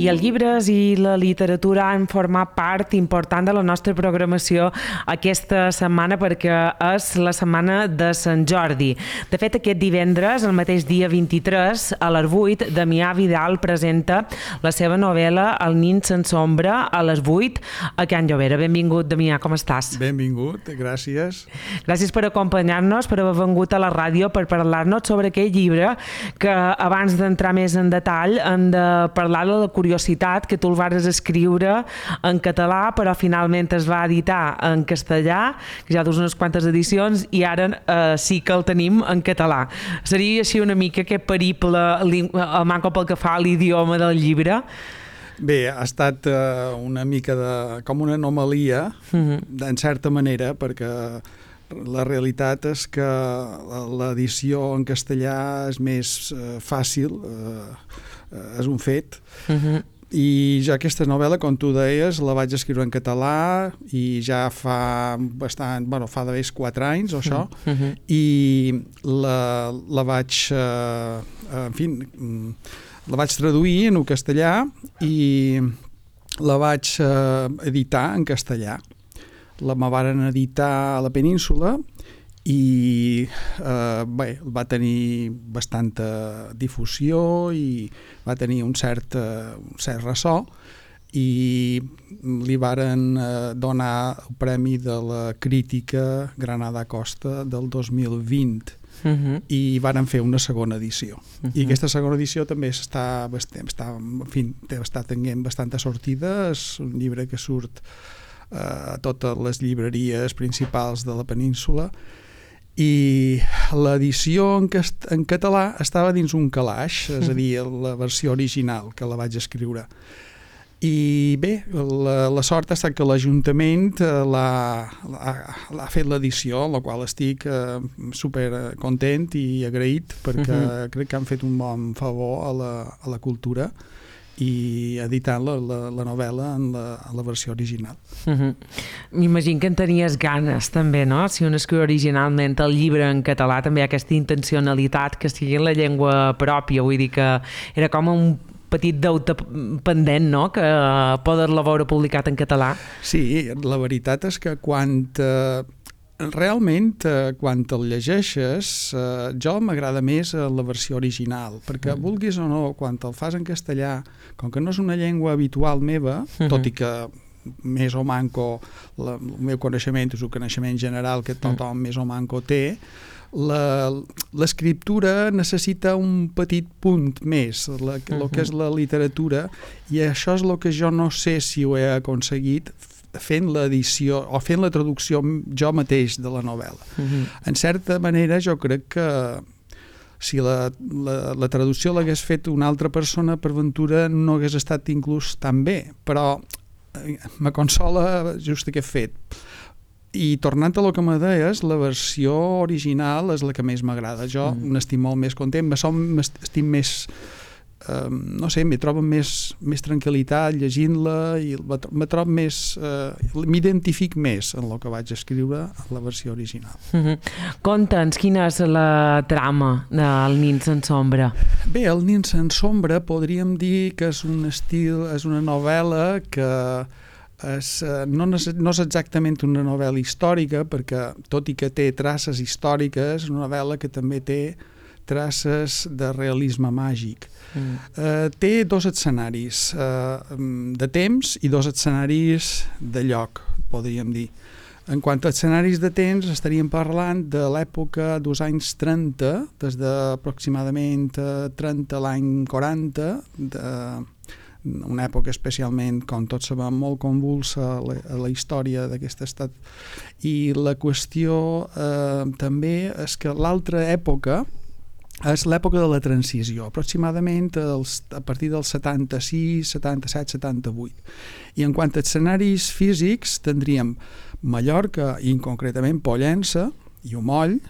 els llibres i la literatura han format part important de la nostra programació aquesta setmana perquè és la setmana de Sant Jordi. De fet, aquest divendres, el mateix dia 23, a les 8, Damià Vidal presenta la seva novel·la El nin sense ombra a les 8 a Can Llobera. Benvingut, Damià, com estàs? Benvingut, gràcies. Gràcies per acompanyar-nos, per haver vengut a la ràdio per parlar-nos sobre aquell llibre que abans d'entrar més en detall hem de parlar de la curiositat que tu el vas escriure en català però finalment es va editar en castellà, que ja dus unes quantes edicions i ara sí que el tenim en català. Seria així una mica aquest periple manco pel que fa a l'idioma del llibre? Bé, ha estat una mica com una anomalia, en certa manera, perquè la realitat és que l'edició en castellà és més fàcil, és un fet, i ja aquesta novel·la, com tu deies, la vaig escriure en català i ja fa bastant, fa d'haver 4 anys o això, i la vaig, en fi, la vaig traduir en castellà i la vaig editar en castellà. La varen editar a la península i va tenir bastanta difusió i va tenir un cert ressò i li varen donar el Premi de la Crítica Granada Costa del 2020 i varen fer una segona edició. I aquesta segona edició també està tenint bastanta sortida. És un llibre que surt a totes les llibreries principals de la península i l'edició en català estava dins un calaix, és a dir, la versió original que la vaig escriure. I bé, la sort ha estat que l'Ajuntament l'ha fet l'edició, amb la qual estic super content i agraït perquè crec que han fet un bon favor a la cultura i editant la novel·la en la versió original. M'imagino que en tenies ganes també, no? Si un escriu originalment el llibre en català també hi ha aquesta intencionalitat que sigui en la llengua pròpia, vull dir que era com un petit deute pendent, no?, que poder-la veure publicat en català. Sí, la veritat és que realment, quan el llegeixes, jo m'agrada més la versió original, perquè vulguis o no, quan el fas en castellà, com que no és una llengua habitual meva, tot i que més o manco, el meu coneixement és un coneixement general que tothom més o manco té, l'escriptura necessita un petit punt més, el que és la literatura, i això és el que jo no sé si ho he aconseguit fent l'edició o fent la traducció jo mateix de la novel·la. En certa manera jo crec que si la traducció l'hagués fet una altra persona, per ventura no hagués estat inclús tan bé, però me consola just aquest fet. I tornant a lo que me deies, la versió original és la que més m'agrada. Jo n'estic molt més content, estic més, no sé, m'hi trobo més tranquil·litat llegint-la i me trobo més, m'identific més en el que vaig escriure a la versió original. Conta'ns, quina és la trama del Nin sense ombra? Bé, El nin sense ombra podríem dir que és un estil, és una novel·la que no és exactament una novel·la històrica, perquè tot i que té traces històriques, és una novel·la que també té traces de realisme màgic. Té 2 escenaris de temps i 2 escenaris de lloc, podríem dir. En quant a escenaris de temps, estaríem parlant de l'època dels anys 30, des d'aproximadament 30 l'any 40, una època especialment, com tots sabem, molt convulsa a la història d'aquest estat. I la qüestió també és que l'altra època és l'època de la transició, aproximadament a partir del 76, 77, 78. I en quant a escenaris físics, tindríem Mallorca i concretament Pollença i Omoll,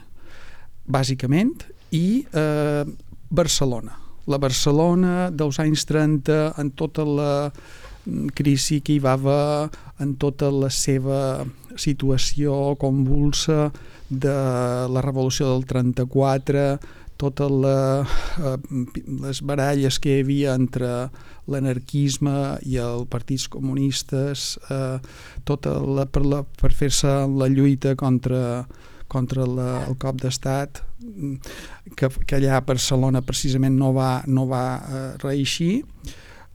bàsicament, i Barcelona. La Barcelona dels anys 30, en tota la crisi que hi va haver, en tota la seva situació convulsa de la revolució del 34, totes les baralles que hi havia entre l'anarquisme i els partits comunistes, per fer-se la lluita contra el cop d'estat, que allà a Barcelona precisament no va reeixir.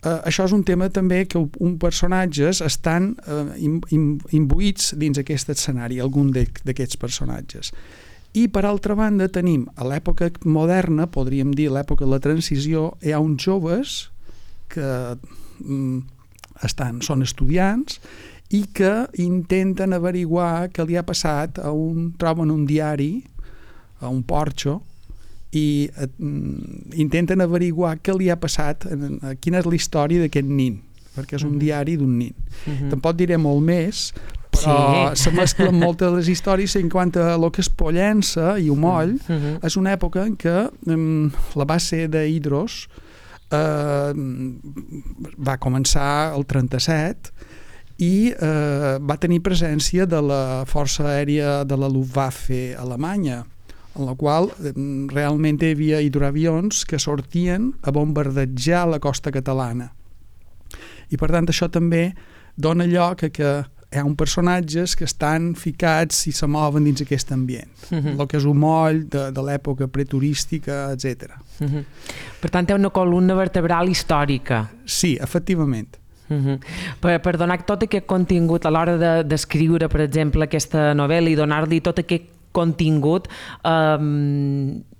Això és un tema també que uns personatges estan imbuïts dins aquest escenari, algun d'aquests personatges. I per altra banda tenim a l'època moderna, podríem dir l'època de la transició, hi ha uns joves que són estudiants i que intenten averiguar què li ha passat troben un diari a un porxo i intenten averiguar què li ha passat, quina és la història d'aquest nin, perquè és un diari d'un nin. Tampoc diré molt més, però se mesclen moltes de les històries en quant a el que és Pollença i Omoll. És una època en què la base d'Hidros va començar el 37 i va tenir presència de la força aèria de la Luftwaffe alemanya, en la qual realment hi havia hidroavions que sortien a bombardejar la costa catalana. I per tant això també dona lloc a que hi ha uns personatges que estan ficats i se mouen dins aquest ambient, el que és un moll de l'època preturística, etc. Per tant, hi ha una columna vertebral històrica. Sí, efectivament. Per donar tot aquest contingut a l'hora d'escriure, per exemple, aquesta novel·la i donar-li tot aquest contingut,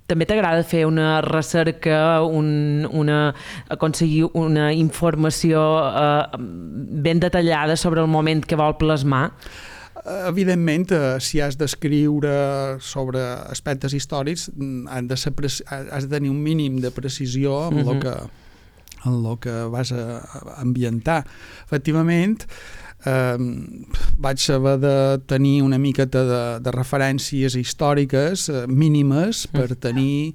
també t'agrada fer una recerca, aconseguir una informació ben detallada sobre el moment que vol plasmar? Evidentment, si has d'escriure sobre aspectes històrics, has de tenir un mínim de precisió en el que vas a ambientar. Efectivament, vaig haver de tenir una miqueta de referències històriques mínimes per tenir,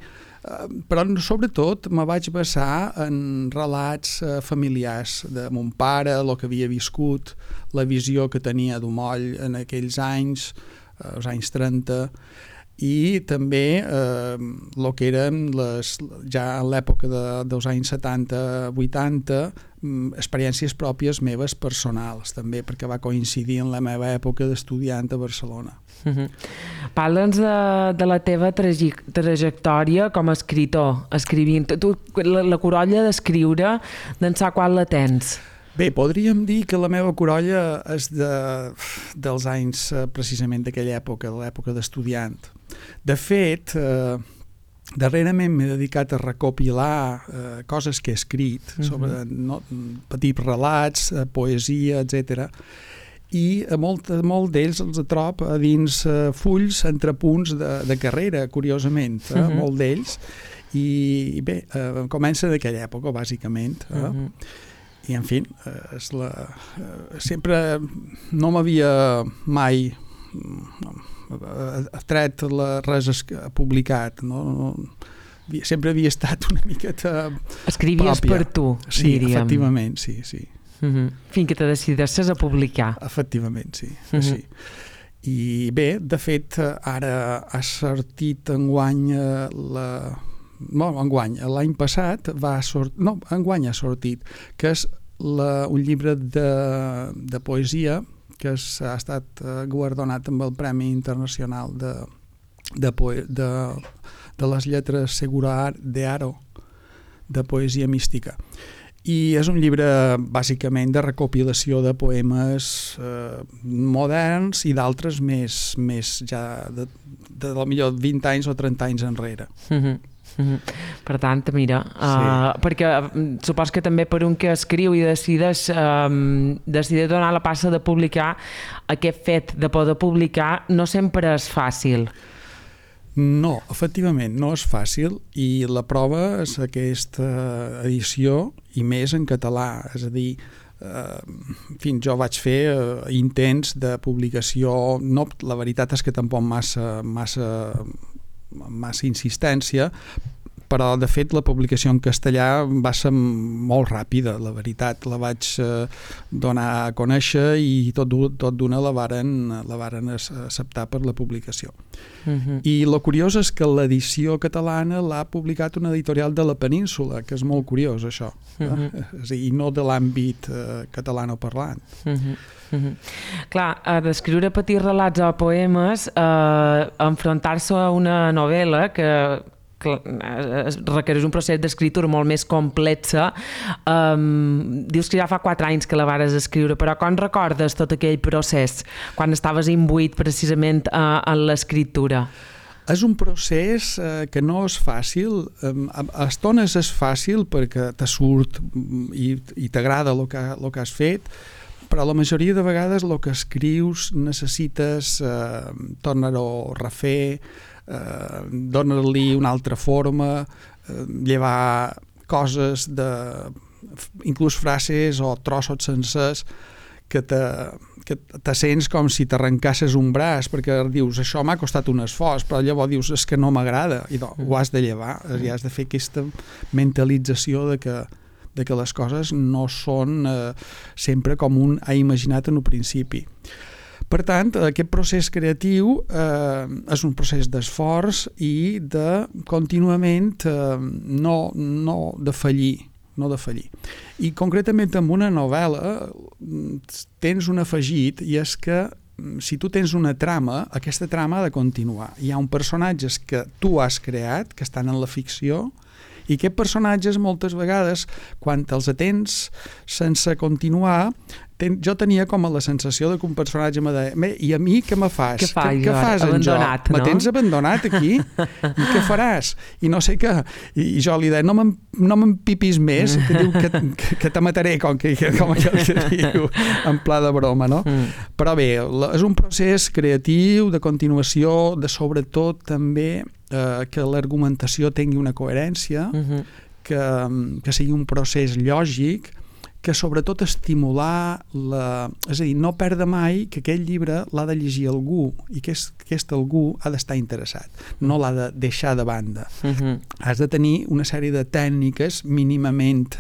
però sobretot me vaig basar en relats familiars de mon pare, el que havia viscut, la visió que tenia d'Omoll en aquells anys, els anys 30, i també el que eren ja en l'època dels anys 70-80 experiències pròpies meves personals també, perquè va coincidir en la meva època d'estudiant a Barcelona. Parla'ns de la teva trajectòria com a escriptor, escrivint. Tu, la corolla d'escriure, d'ençà quan la tens? Bé, podríem dir que la meva corolla és dels anys precisament d'aquella època, de l'època d'estudiant. De fet, darrerament m'he dedicat a recopilar coses que he escrit, sobre petits relats, poesia, etc. I molt d'ells els trob a dins fulls entre punts de carrera, curiosament, molt d'ells. I bé, comença d'aquella època, bàsicament. I, en fi, sempre no m'havia mai tret res publicat, no? Sempre havia estat una miqueta escrivies pròpia. Per tu, sí, diríem. Efectivament, sí. Fins que te decidessis a publicar. Efectivament, sí. Sí. I bé, de fet, ara ha sortit enguany l'any passat enguany ha sortit, que és un llibre de poesia que ha estat guardonat amb el Premi Internacional de les lletres Segura de Haro, de poesia mística. I és un llibre bàsicament de recopilació de poemes moderns i d'altres més ja de millor 20 anys o 30 anys enrere. Per tant, mira, perquè supos que també per un que escriu i decideix donar la passa de publicar, aquest fet de poder publicar no sempre és fàcil. No, efectivament, no és fàcil, i la prova és aquesta edició, i més en català, és a dir, jo vaig fer intents de publicació, la veritat és que tampoc massa insistència, però de fet la publicació en castellà va ser molt ràpida, la veritat. La vaig donar a conèixer i tot d'una la varen acceptar per la publicació. I el curiós és que l'edició catalana l'ha publicat una editorial de la Península, que és molt curiós això, i no de l'àmbit catalanoparlant. Clar, d'escriure petits relats o poemes, enfrontar-se a una novel·la que requereix un procés d'escriptura molt més complexa. Dius que ja fa 4 anys que la vares escriure, però com recordes tot aquell procés quan estaves imbuït precisament en l'escriptura? És un procés que no és fàcil. A estones és fàcil perquè te surt i t'agrada el que has fet, però la majoria de vegades el que escrius necessites tornar-ho a refer, donar-li una altra forma, llevar coses, inclús frases o trossos sencers que te sents com si t'arrencasses un braç, perquè dius, això m'ha costat un esforç, però llavors dius, és que no m'agrada, i ho has de llevar, i has de fer aquesta mentalització de que les coses no són sempre com un ha imaginat en un principi. Per tant, aquest procés creatiu és un procés d'esforç i de contínuament no de fallir. I concretament amb una novel·la tens un afegit, i és que si tu tens una trama, aquesta trama ha de continuar. Hi ha uns personatges que tu has creat, que estan en la ficció, i aquests personatges moltes vegades, quan els atens sense continuar, jo tenia com la sensació que un personatge me deia, i a mi què me fas? Què fas en jo? Me tens abandonat aquí? I què faràs? I no sé què. I jo li deia, no m'empipis més, que diu que te mataré, com aquell que diu, en pla de broma, no? Però bé, és un procés creatiu, de continuació, de sobretot també que l'argumentació tingui una coherència, que sigui un procés lògic, que sobretot estimular és a dir, no perdre mai que aquest llibre l'ha de llegir algú i que aquest algú ha d'estar interessat, no l'ha de deixar de banda. Has de tenir una sèrie de tècniques mínimament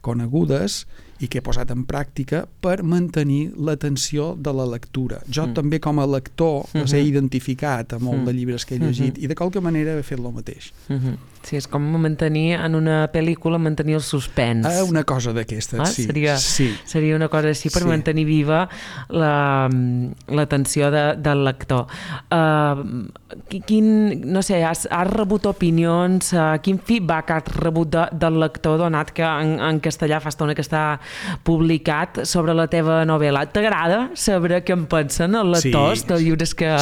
conegudes i que he posat en pràctica per mantenir l'atenció de la lectura. Jo també com a lector les he identificat a molt de llibres que he llegit i de qualque manera he fet el mateix. Sí, és com mantenir en una pel·lícula, mantenir el suspens. Una cosa d'aquestes, sí. Seria una cosa així per mantenir viva l'atenció del lector. No sé, has rebut opinions, quin feedback has rebut del lector, donat que en castellà fa estona que està publicat sobre la teva novel·la? T'agrada saber què en pensen els lectors dels llibres que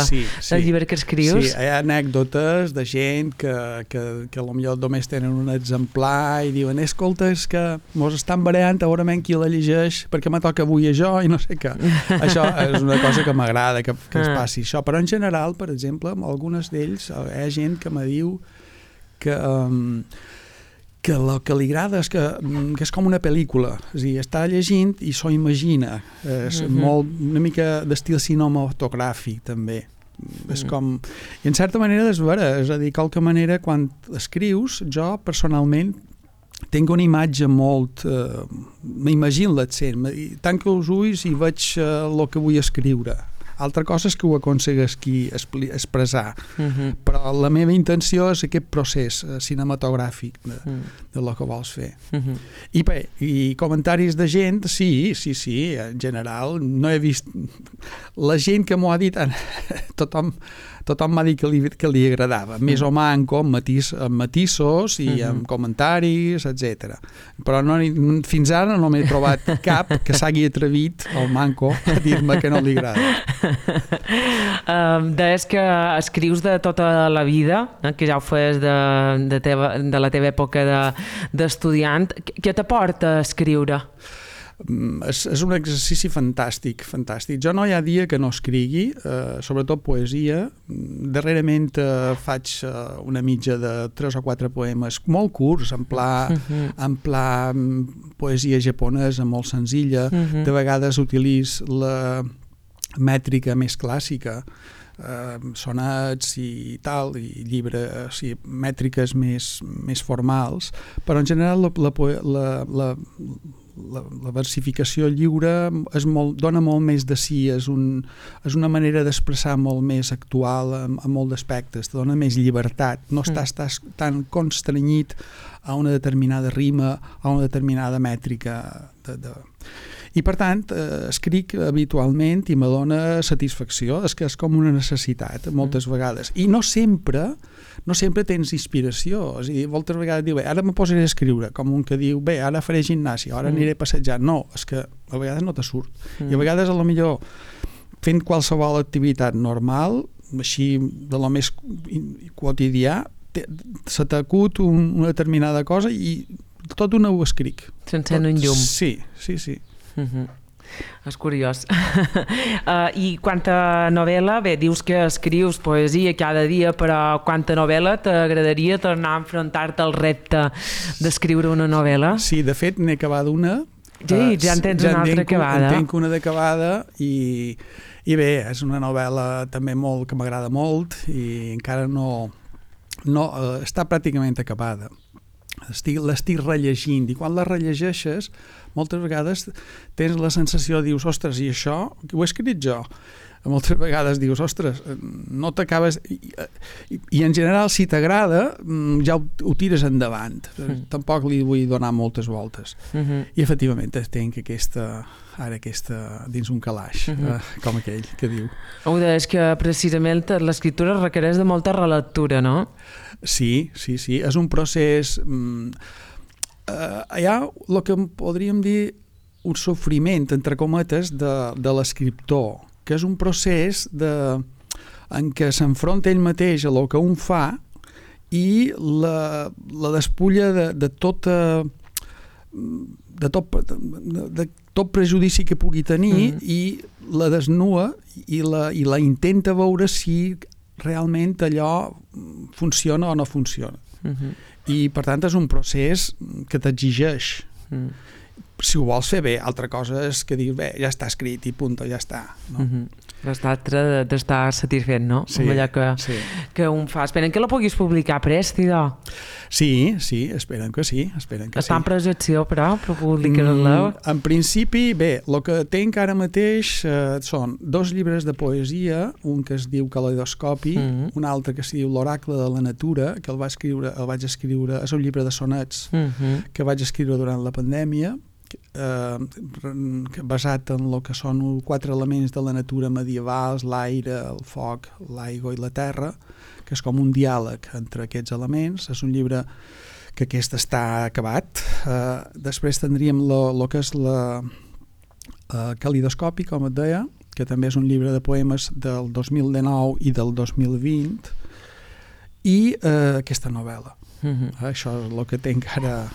escrius? Sí, hi ha anècdotes de gent que potser només tenen un exemplar i diuen, escolta, és que mos estan barallant, a veure qui la llegeix, perquè me toca avui a jo i no sé què. Això és una cosa que m'agrada que es passi això, però en general, per exemple, amb algunes d'ells hi ha gent que me diu que el que li agrada és que és com una pel·lícula, és a dir, està llegint i s'ho imagina, és una mica d'estil cinematogràfic també. És com, i en certa manera és vera, és a dir, qualque manera quan escrius, jo personalment tinc una imatge molt m'imagino l'accent, tanco els ulls i veig el que vull escriure. Altra cosa és que ho aconsegueixi expressar, però la meva intenció és aquest procés cinematogràfic de lo que vols fer. I bé, i comentaris de gent, sí, en general, no he vist la gent que m'ho ha dit, tothom m'ha dit que li agradava, més o manco, amb matisos i amb comentaris, etc. Però fins ara no m'he trobat cap que s'hagi atrevit, el manco, a dir-me que no li agrada. Deies que escrius de tota la vida, que ja ho fes de la teva època d'estudiant. Què t'aporta escriure? És un exercici fantàstic. Jo no hi ha dia que no escrigui, sobretot poesia. Darrerament faig una mitja de 3 o 4 poemes molt curts, en pla poesia japonesa molt senzilla. De vegades utilitzo la mètrica més clàssica, sonets i tal, i llibres, mètriques més formals, però en general la versificació lliure dona molt més de si, és una manera d'expressar molt més actual en molt d'aspectes, te dona més llibertat, no estàs tan constrenyit a una determinada rima, a una determinada mètrica i per tant escric habitualment i me dona satisfacció, és que és com una necessitat moltes vegades, i no sempre tens inspiració, és a dir, moltes vegades diu, ara me posaré a escriure, com un que diu, ara faré gimnàsia, ara aniré a passejar, no, és que a vegades no te surt, i a vegades a lo millor fent qualsevol activitat normal, així de lo més quotidià, se t'acut una determinada cosa i tot una ho escric. S'encén un llum. Sí. És curiós. I quanta novel·la, bé, dius que escrius poesia cada dia, però quanta novel·la t'agradaria tornar a enfrontar-te al repte d'escriure una novel·la? Sí, de fet n'he acabat una. Sí, ja en tens una altra acabada. En tenc una d'acabada i bé, és una novel·la també molt que m'agrada molt i encara no està pràcticament acabada. L'estic rellegint i quan la rellegeixes moltes vegades tens la sensació, dius, ostres, i això ho he escrit jo? Moltes vegades dius, ostres, no t'acabes i en general si t'agrada ja ho tires endavant, tampoc li vull donar moltes voltes i efectivament tenc aquesta dins un calaix, com aquell que diu. Ho deies que precisament l'escriptura requereix de molta relectura, no? Sí, és un procés hi ha el que podríem dir un sofriment, entre cometes, de l'escriptor, que és un procés en què s'enfronta ell mateix a el que un fa i la despulla de tot prejudici que pugui tenir i la desnua i la intenta veure si realment allò funciona o no funciona. I per tant és un procés que t'exigeix. Si ho vols fer bé, altra cosa és que dius, bé, ja està escrit i punt, ja està. L'altre d'estar satisfet, no? Sí, allò que un fa. Esperen que la puguis publicar prèstida. Sí, esperen que sí. Està en projecció, però publicar-la? En principi, bé, el que tenc ara mateix són 2 llibres de poesia, un que es diu Caleidoscopi, un altre que es diu L'oracle de la natura, que el vaig escriure, és un llibre de sonets que vaig escriure durant la pandèmia, basat en el que són 4 elements de la natura medievals, l'aire, el foc, l'aigua i la terra, que és com un diàleg entre aquests elements. És un llibre que aquest està acabat. Després tindríem el que és la Calidoscopi, com et deia, que també és un llibre de poemes del 2019 i del 2020, i aquesta novel·la. Això és el que tenc ara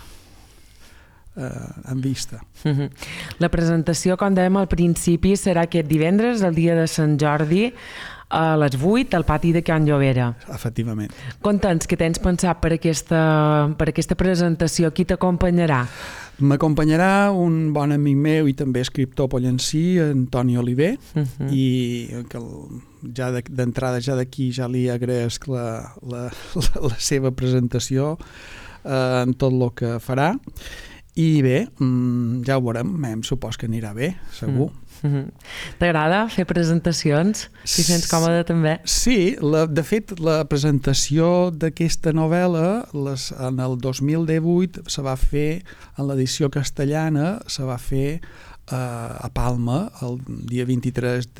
en vista. La presentació, com dèiem al principi, serà aquest divendres, el dia de Sant Jordi, a les 8 al pati de Can Llobera. Efectivament. Conta'ns què tens pensat per aquesta presentació, qui t'acompanyarà? M'acompanyarà un bon amic meu i també escriptor pollencí, Antoni Oliver, i que ja d'entrada, ja d'aquí, ja li agraeix la seva presentació en tot el que farà. I bé, ja ho veurem, em supos que anirà bé, segur. T'agrada fer presentacions? Si sents còmode també? Sí, de fet la presentació d'aquesta novel·la en el 2018 se va fer, en l'edició castellana, se va fer a Palma el dia 23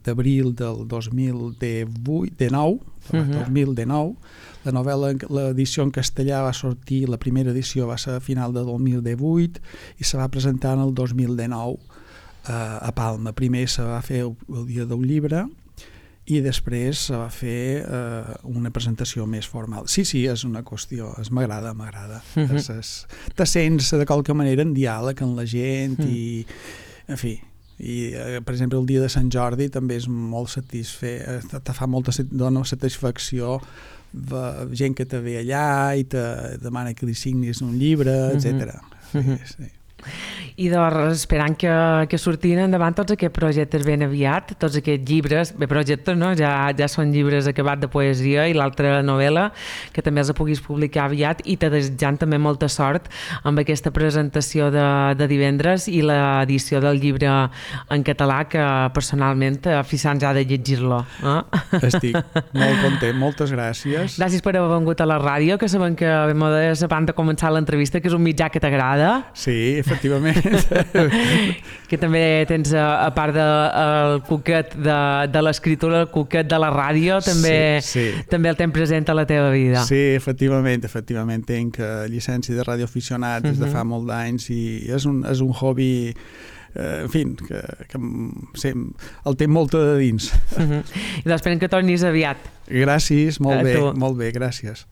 d'abril del 2019. La novel·la, l'edició en castellà va sortir, la primera edició va ser a final de 2018 i se va presentar en el 2019 a Palma. Primer se va fer el dia del llibre i després se va fer una presentació més formal. Sí, és una qüestió, m'agrada. Te sents de qualque manera en diàleg amb la gent i, en fi, i per exemple el dia de Sant Jordi també és molt satisfet, dona satisfacció gent que te ve allà i te demana que li signis un llibre, etc. I doncs esperant que surtin endavant tots aquests projectes ben aviat, tots aquests llibres, bé, projectes no, ja són llibres acabats de poesia i l'altra novel·la, que també els puguis publicar aviat, i te desitjant també molta sort amb aquesta presentació de divendres i l'edició del llibre en català, que personalment Fisans ha de llegir-lo. Estic molt content, moltes gràcies. Gràcies per haver vengut a la ràdio, que sabem que abans de començar l'entrevista, que és un mitjà que t'agrada. Sí, efectivament. Que també tens, a part del cuquet de l'escriptura, el cuquet de la ràdio, també el tens present a la teva vida. Sí, efectivament, tenc llicència de radioaficionat des de fa molt d'anys i és un hobby, en fi, que el té molt de dins. I doncs esperem que tornis aviat. Gràcies, molt bé, gràcies.